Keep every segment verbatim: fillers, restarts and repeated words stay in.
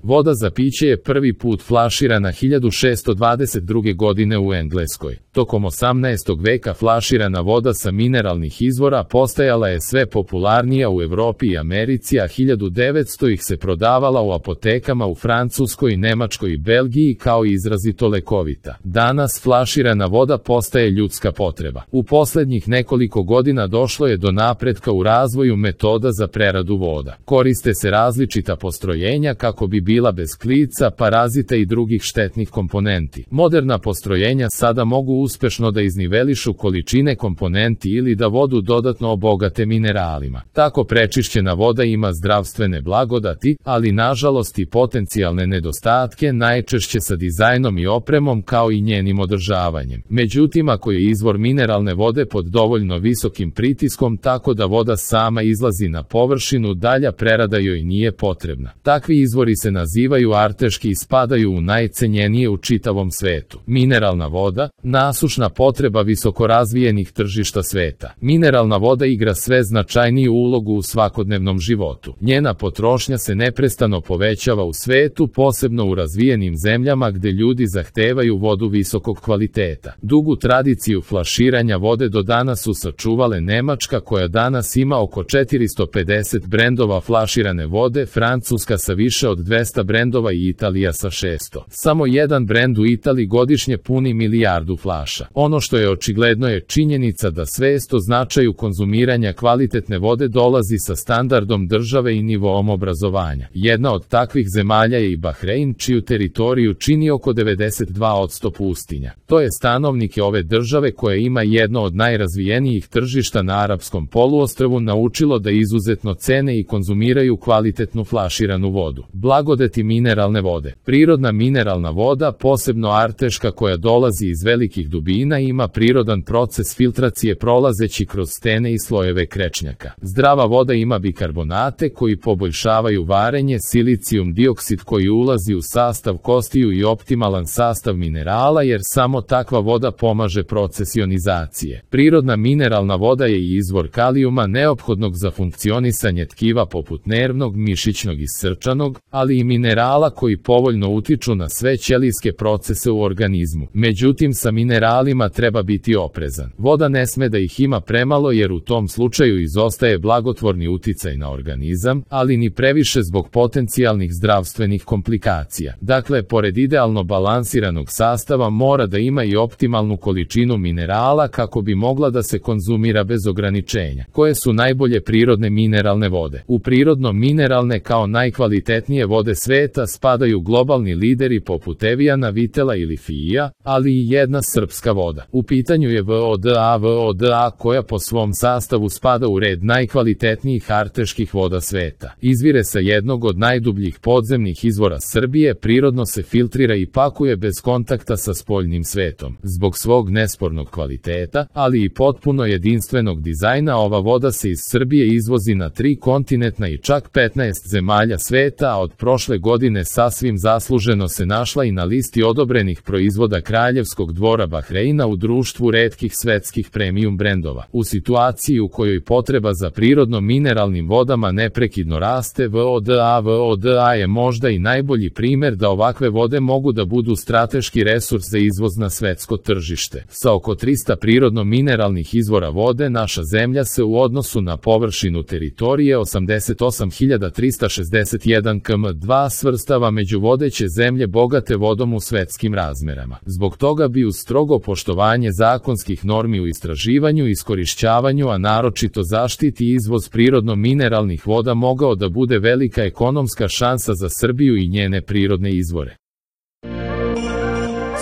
Voda za piće je prvi put flaširana hiljadu šessto dvadeset druge. godine u Engleskoj. Tokom osamnaestog veka flaširana voda sa mineralnih izvora postajala je sve popularnija u Evropi i Americi, a hiljadu devetsto ih se prodavala u apotekama u Francuskoj, Nemačkoj i Belgiji kao izrazito lekovita. Danas flaširana voda postaje ljudska potreba. U poslednjih nekoliko godina došlo je do napretka u razvoju metoda za preradu voda. Koriste se različita postrojenja kako bi bila bez klica, parazita i drugih štetnih komponenti. Moderna postrojenja sada mogu uspešno da iznivelišu količine komponenti ili da vodu dodatno obogate mineralima. Tako prečišćena voda ima zdravstvene blagodati, ali nažalost i potencijalne nedostatke, najčešće sa dizajnom i opremom kao i njenim održavanjem. Međutim, ako je izvor mineralne vode pod dovoljno visokim pritiskom tako da voda sama izlazi na površinu, dalja prerada joj nije potrebna. Takvi izvori se nazivaju arteški i spadaju u najcenjenije u čitavom svetu. Mineralna voda, nasušna potreba visokorazvijenih tržišta sveta. Mineralna voda igra sve značajniju ulogu u svakodnevnom životu. Njena potrošnja se neprestano povećava u svetu, posebno u razvijenim zemljama gde ljudi zahtevaju vodu visokog kvaliteta. Dugu tradiciju flaširanja vode do danas su sačuvale Nemačka, koja danas ima oko četiristo pedeset brendova flaširane vode, Francuska sa više od dvesta brendova i Italija sa šesto. Samo jedan brend u Italiji godišnje puni milijardu flaša. Ono što je očigledno je činjenica da svest o značaju konzumiranja kvalitetne vode dolazi sa standardom države i nivoom obrazovanja. Jedna od takvih zemalja je i Bahrein, čiju teritoriju čini oko devedeset dva posto pustinja. To je stanovnike ove države, koja ima jedno od najrazvijenijih tržišta na arapskom poluostrvu, naučilo da izuzetno cene i konzumiraju kvalitetnu flaširanu vodu. Blagodeti mineralne vode. Prirodna mineralna voda, posebno arteška koja dolazi iz velikih dubina, ima prirodan proces filtracije prolazeći kroz stene i slojeve krečnjaka. Zdrava voda ima bikarbonate koji poboljšavaju varenje, silicijum dioksid koji ulazi u sastav kostiju i optimalan sastav minerala, jer samo takva voda pomaže proces ionizacije. Prirodna mineralna voda je i izvor kalijuma neophodnog za funkcionisanje tkiva poput nervnog, mišićnog i srčanog, ali i minerala koji povoljno utiču na sve ćelijske procese u organizmu. Međutim, sa mineralima treba biti oprezan. Voda ne sme da ih ima premalo, jer u tom slučaju izostaje blagotvorni uticaj na organizam, ali ni previše zbog potencijalnih zdravstvenih komplikacija. Dakle, pored idealno balansiranog sastava mora da ima i optimalnu količinu minerala kako bi mogla da se konzumira bez ograničenja. Koje su najbolje prirodne mineralne vode? U prirodno mineralne kao najkvalitetnije vode sveta spadaju globalni lideri poput Eviana, Vitela ili Fija, ali i jedna srpska voda. U pitanju je voda voda koja po svom sastavu spada u red najkvalitetnijih arteških voda sveta. Izvire sa jednog od najdubljih podzemnih izvora Srbije, prirodno se filtrira i pakuje bez kontakta sa spoljnim svetom. Zbog svog nespornog kvaliteta, ali i potpuno jedinstvenog dizajna, ova voda se iz Srbije izvozi na tri kontinenta i čak petnaest zemalja sveta, a od prošle godine sasvim zasluženo se našla i na listi odobrenih proizvoda Kraljevskog dvora Bahreina u društvu retkih svetskih premium brendova. U situaciji u kojoj potreba za prirodno mineralnim vodama neprekidno raste, voda voda je možda i najbolji primer da ovakve vode mogu da budu strateški resurs za izvoz na svetsko tržište. Sa oko trista prirodno mineralnih izvora vode, naša zemlja se u odnosu na površinu teritorije osamdeset osam hiljada trista šezdeset jedan kilometara dva svrstava među vodeće zemlje bogate vodom u svetskim razmerama. Zbog toga bi uz strogo poštovanje zakonskih normi u istraživanju i iskorišćavanju, a naročito zaštiti i izvoz prirodno mineralnih voda mogao da bude velika ekonomska šansa za Srbiju i njene prirodne izvore.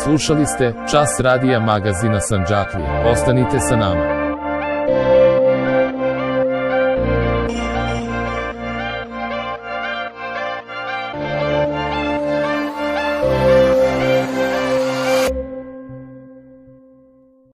Slušali ste Čas radija magazina Sandžaklije. Ostanite sa nama.